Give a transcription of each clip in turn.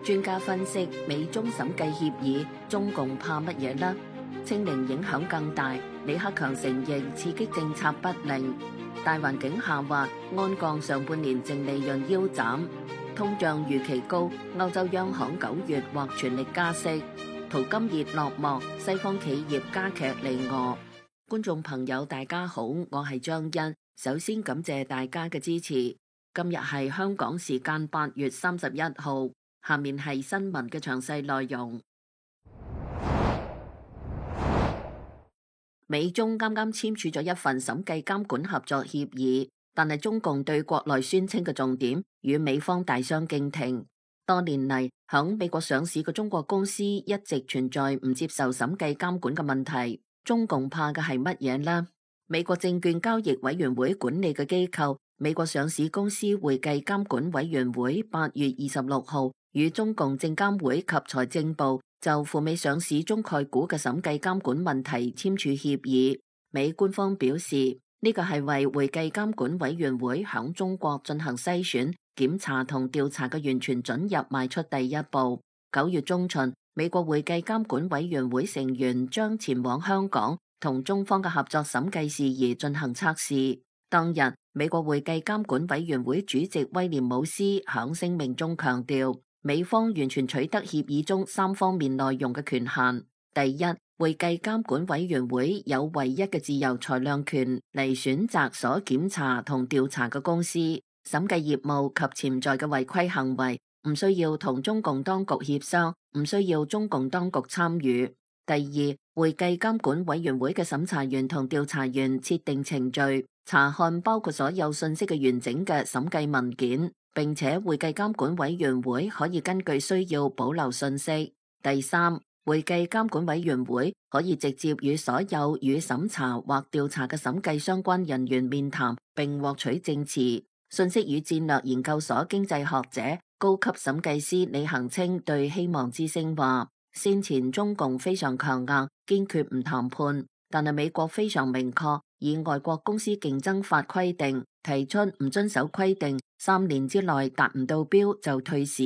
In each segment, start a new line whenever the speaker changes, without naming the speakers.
專家分析，美中審計協議，中共怕乜嘢呢？清零影響更大，李克強承認刺激政策不靈。大環境下滑，鞍鋼上半年淨利潤腰斬，通脹預期高，歐洲央行9月或全力加息。淘金熱落幕，西方企業加劇離俄。觀眾朋友大家好，我係張欣，首先感謝大家嘅支持。今日係香港時間8月31號，下面係新聞嘅詳細內容。美中啱啱簽署咗一份審計監管合作協議，但係中共對國內宣稱嘅重點與美方大相徑庭。多年嚟，響美國上市嘅中國公司一直存在唔接受審計監管嘅問題。中共怕嘅係乜嘢呢？美國證券交易委員會管理嘅機構美國上市公司會計監管委員會8月26號與中共證監會及財政部就赴美上市中概股嘅審計監管問題簽署協議。美官方表示，呢個係為會計監管委員會響中國進行篩選、檢查同調查嘅完全准入邁出第一步。9月中旬，美國會計監管委員會成員將前往香港同中方嘅合作審計事宜進行測試。當日，美國會計監管委員會主席威廉姆斯響聲明中強調，美方完全取得協議中3方面內容嘅權限。第一，會計監管委員會有唯一嘅自由裁量權嚟選擇所檢查同調查嘅公司，審計業務及潛在嘅違規行為唔需要同中共當局協商，唔需要中共當局參與。第二，會計監管委員會嘅審查員同調查員設定程序，查看包括所有信息嘅完整嘅審計文件，並且會計監管委員會可以根據需要保留信息。第三，會計監管委員會可以直接與所有與審查或調查嘅審計相關人員面談，並獲取證詞。信息與戰略研究所經濟學者、高級審計師李恒清對希望之聲話，先前中共非常強硬，堅決唔談判，但係美國非常明確，以外國公司競爭法規定，提出唔遵守規定，3年之內達唔到標就退市。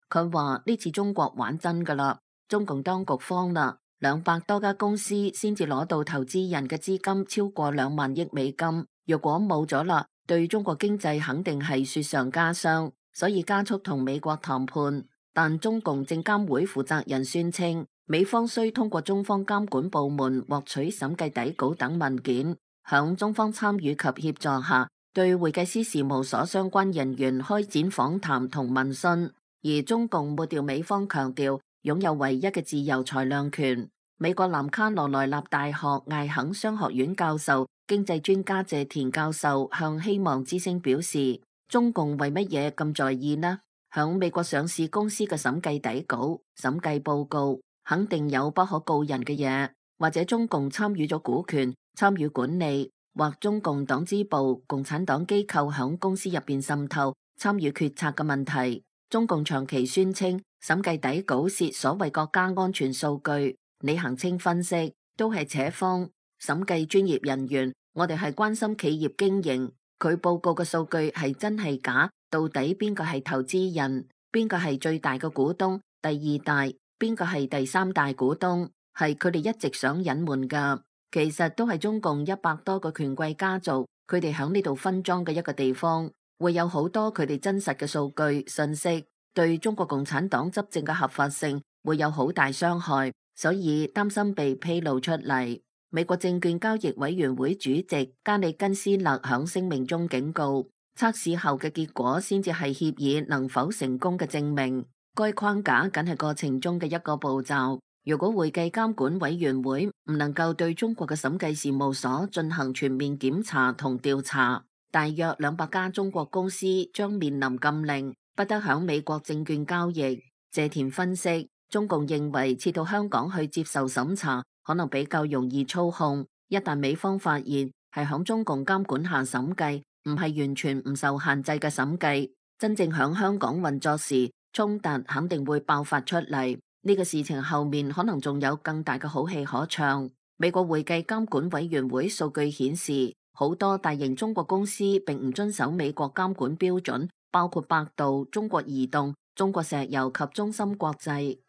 佢話呢次中國玩真噶啦，中共當局慌啦，200多家公司先至攞到投資人嘅資金超過2萬億美金，若果冇咗啦，對中國經濟肯定係雪上加霜，所以加速同美國談判。但中共證監會負責人宣稱，美方需通過中方監管部門獲取審計底稿等文件，響中方參與及協助下，對會計師事務所相關人員開展訪談同問詢。而中共抹掉美方強調擁有唯一嘅自由裁量權。美國南卡羅來納大學艾肯商學院教授、經濟專家謝田教授向希望之聲表示，中共為乜嘢咁在意呢？響美國上市公司嘅審計底稿、審計報告，肯定有不可告人嘅嘢，或者中共參與咗股權、參與管理，或中共黨支部、共產黨機構響公司入邊滲透、參與決策嘅問題。中共長期宣稱審計底稿是所謂國家安全數據。李恒清分析，都係扯謊。審計專業人員，我哋係關心企業經營，佢報告嘅數據係真係假？到底邊個係投資人？邊個係最大嘅股東？第2大？邊個係第3大股東？係佢哋一直想隱瞞噶。其實都係中共100多個權貴家族，佢哋響呢度分贓嘅一個地方，會有好多佢哋真實嘅數據信息，對中國共產黨執政嘅合法性會有好大傷害，所以擔心被披露出嚟。美國證券交易委員會主席加里根斯勒響聲明中警告，測試後嘅結果先至係協議能否成功嘅證明，該框架僅係過程中嘅一個步驟。如果會計監管委員會唔能夠對中國嘅審計事務所進行全面檢查同調查，大約200家中國公司將面臨禁令，不得響美國證券交易。謝田分析，中共認為撤到香港去接受審查可能比較容易操控，一旦美方發現係響中共監管下審計，唔係完全唔受限制嘅審計，真正響香港運作時，衝突肯定會爆發出嚟。呢個事情後面可能仲有更大嘅好戲可唱。美國會計監管委員會數據顯示，好多大型中國公司並唔遵守美國監管標準，包括百度、中國移動、中國石油及中芯國際。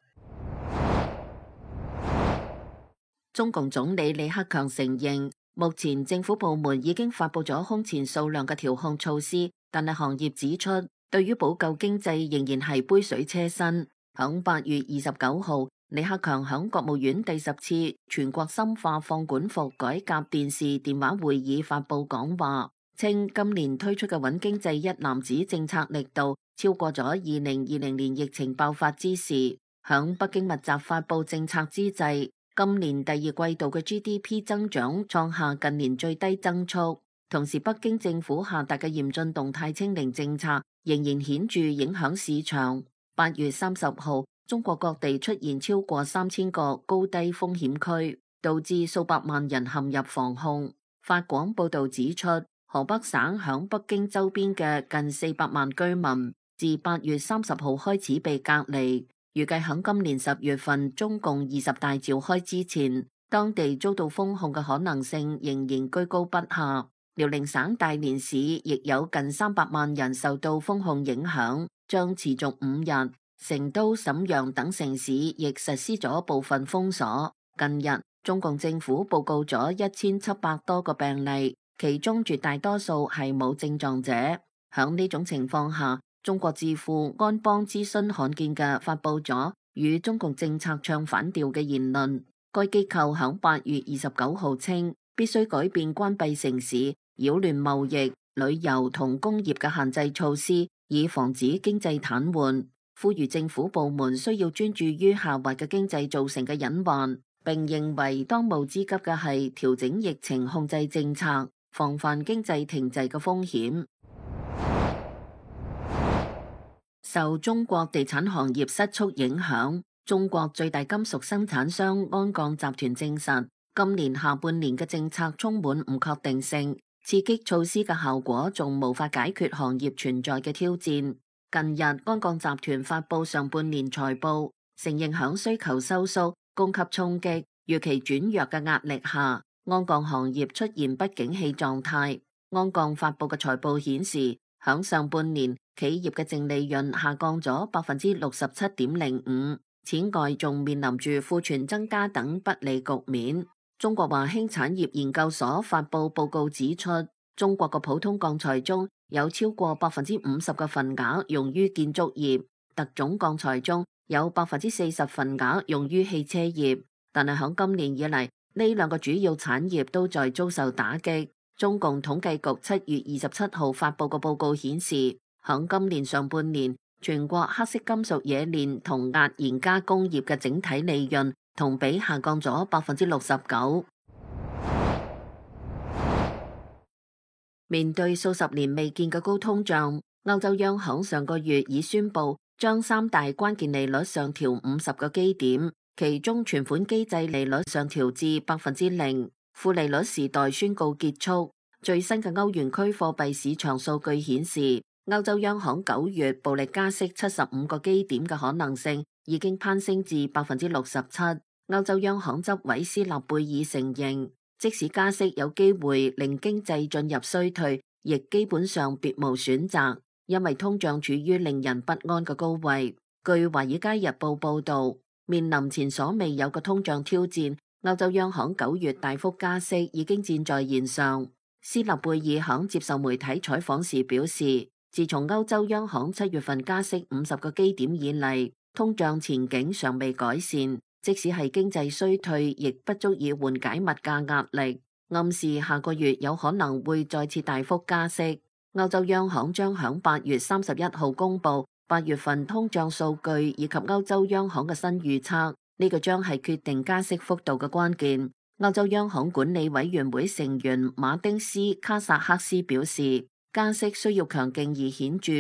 中共總理李克強承認，目前政府部門已經發布咗空前數量嘅調控措施，但係行業指出，對於補救經濟仍然係杯水車薪。響8月29號，李克強響國務院第10次全國深化放管服改革電視電話會議發布講話，稱今年推出嘅穩經濟一攬子政策力度超過咗2020年疫情爆發之時。響北京密集發布政策之際，今年第二季度嘅 GDP 增長創下近年最低增速，同時北京政府下達嘅嚴峻動態清零政策仍然顯著影響市場。8月30號，中國各地出現超過3000個高低風險區，導致數百萬人陷入防控。法廣報道指出，河北省響北京周邊嘅近400萬居民，自8月30號開始被隔離。預計響今年10月份中共20大召開之前，當地遭到封控嘅可能性仍然居高不下。遼寧省大連市亦有近300萬人受到封控影響，將持續5日。成都、瀋陽等城市亦實施咗部分封鎖。近日，中共政府報告咗1700多個病例，其中絕大多數係冇症狀者。響呢種情況下，中國智庫安邦諮詢罕見嘅發布咗與中共政策唱反調嘅言論。該機構響8月29號稱，必須改變關閉城市、擾亂貿易、旅遊同工業嘅限制措施，以防止經濟癱瘓。呼籲政府部門需要專注於下滑嘅經濟造成嘅隱患，並認為當務之急嘅係調整疫情控制政策，防範經濟停滯嘅風險。受中國地產行業失速影響，中國最大金屬生產商鞍鋼集團證實，今年下半年嘅政策充滿唔確定性，刺激措施嘅效果仲無法解決行業存在嘅挑戰。近日，鞍鋼集團發布上半年財報，承認響需求收縮、供給衝擊、預期轉弱嘅壓力下，鞍鋼行業出現不景氣狀態。鞍鋼發布嘅財報顯示，響上半年企業嘅淨利潤下降咗67.05%，此外仲面臨住庫存增加等不利局面。中國華興產業研究所發布報告指出，中國嘅普通鋼材中有超過50%嘅份額用於建築業，特種鋼材中有40%份額用於汽車業。但係響今年以嚟，呢兩個主要產業都在遭受打擊。中共統計局7月27號發布嘅報告顯示，響今年上半年，全國黑色金屬冶煉同壓延加工業嘅整體利潤同比下降咗69%。面對數十年未見嘅高通脹，歐洲央行上個月已宣布將3大關鍵利率上調50個基點，其中存款機制利率上調至0%，負利率時代宣告結束。最新嘅歐元區貨幣市場數據顯示，歐洲央行9月暴力加息75個基點嘅可能性已經攀升至67%。歐洲央行執委斯納貝爾承認，即使加息有機會令經濟進入衰退，亦基本上別無選擇，因為通脹處於令人不安嘅高位。據華爾街日報報道，面臨前所未有嘅通脹挑戰，歐洲央行9月大幅加息已經箭在弦上。斯納貝爾響接受媒體採訪時表示，自從歐洲央行7月份加息50個基點以嚟，通脹前景尚未改善。即使係經濟衰退，亦不足以緩解物價壓力，暗示下個月有可能會再次大幅加息。歐洲央行將響8月31號公布8月份通脹數據以及歐洲央行嘅新預測，呢個將係決定加息幅度嘅關鍵。歐洲央行管理委員會成員馬丁斯卡薩克斯表示，加息需要強勁而顯著。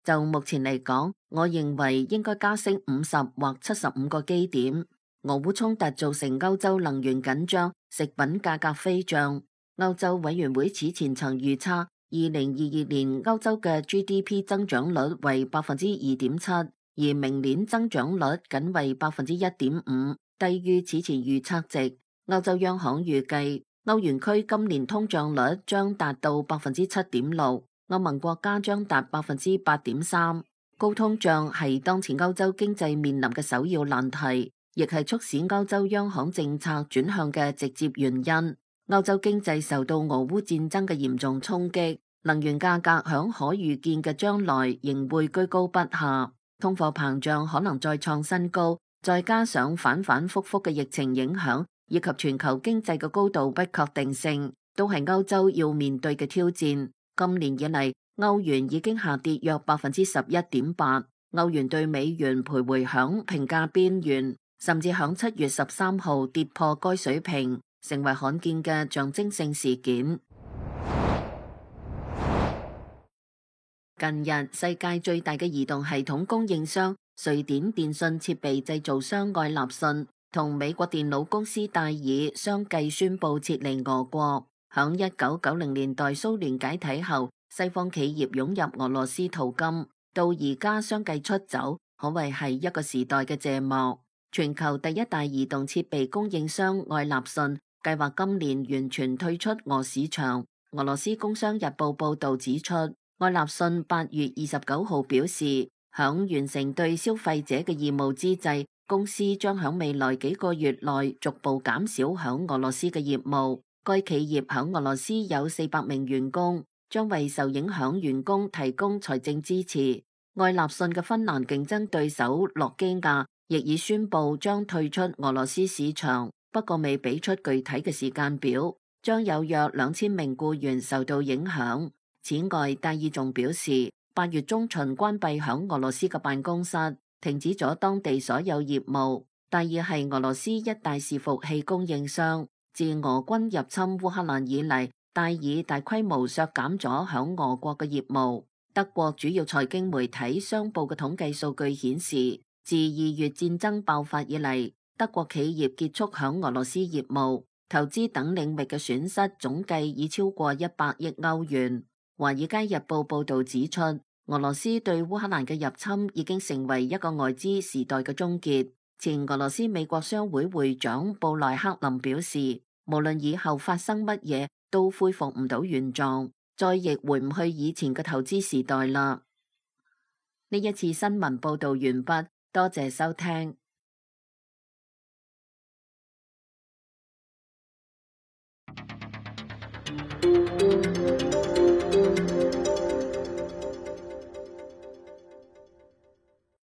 就目前嚟講，我認為應該加息50或75個基點。俄烏衝突造成歐洲能源緊張，食品價格飛漲。歐洲委員會此前曾預測2022年歐洲嘅 GDP 增長率為2.7%，而明年增長率僅為1.5%，低於此前預測值。歐洲央行預計歐元區今年通脹率將達到7.6%，歐盟國家將達8.3%。高通脹係當前歐洲經濟面臨嘅首要難題，亦係促使歐洲央行政策轉向嘅直接原因。歐洲經濟受到俄烏戰爭嘅嚴重衝擊，能源價格響可預見嘅將來仍會居高不下，通貨膨脹可能再創新高，再加上反反复复嘅疫情影響，以及全球經濟嘅高度不確定性，都係歐洲要面對嘅挑戰。今年以嚟，歐元已經下跌約11.8%，歐元對美元徘徊響平價邊緣，甚至響7月13號跌破該水平，成為罕見嘅象徵性事件。近日，世界最大嘅移動系統供應商瑞典電信設備製造商愛立信同美國電腦公司戴爾相繼宣布撤離俄國。響1990年代蘇聯解體後，西方企業湧入俄羅斯淘金，到而家相繼出走，可謂係一個時代嘅謝幕。全球第一大移動設備供應商愛立信計劃今年完全退出俄市場。俄羅斯工商日報報道指出，愛立信8月29號表示，響完成對消費者嘅義務之際，公司將響未來幾個月內逐步減少響俄羅斯嘅業務。該企業響俄羅斯有400名員工，將為受影響員工提供財政支持。愛立信嘅芬蘭競爭對手諾基亞亦已宣布將退出俄羅斯市場，不過未俾出具體嘅時間表，將有約2000名僱員受到影響。此外，戴爾仲表示，8月中旬關閉響俄羅斯嘅辦公室，停止咗當地所有業務。戴爾係俄羅斯一大伺服器供應商。自俄軍入侵烏克蘭以嚟，戴爾大規模削減咗響俄國嘅業務。德國主要財經媒體商報嘅統計數據顯示，自2月戰爭爆發以嚟，德國企業結束響俄羅斯業務、投資等領域嘅損失總計已超過100億歐元。華爾街日報報道指出，俄羅斯對烏克蘭嘅入侵已經成為一個外資時代嘅終結。前俄羅斯美國商會會長布萊克林表示，無論以後發生乜嘢，都恢復唔到原狀，再亦回唔去以前嘅投資時代啦。呢一次新聞報道完畢，多謝收聽。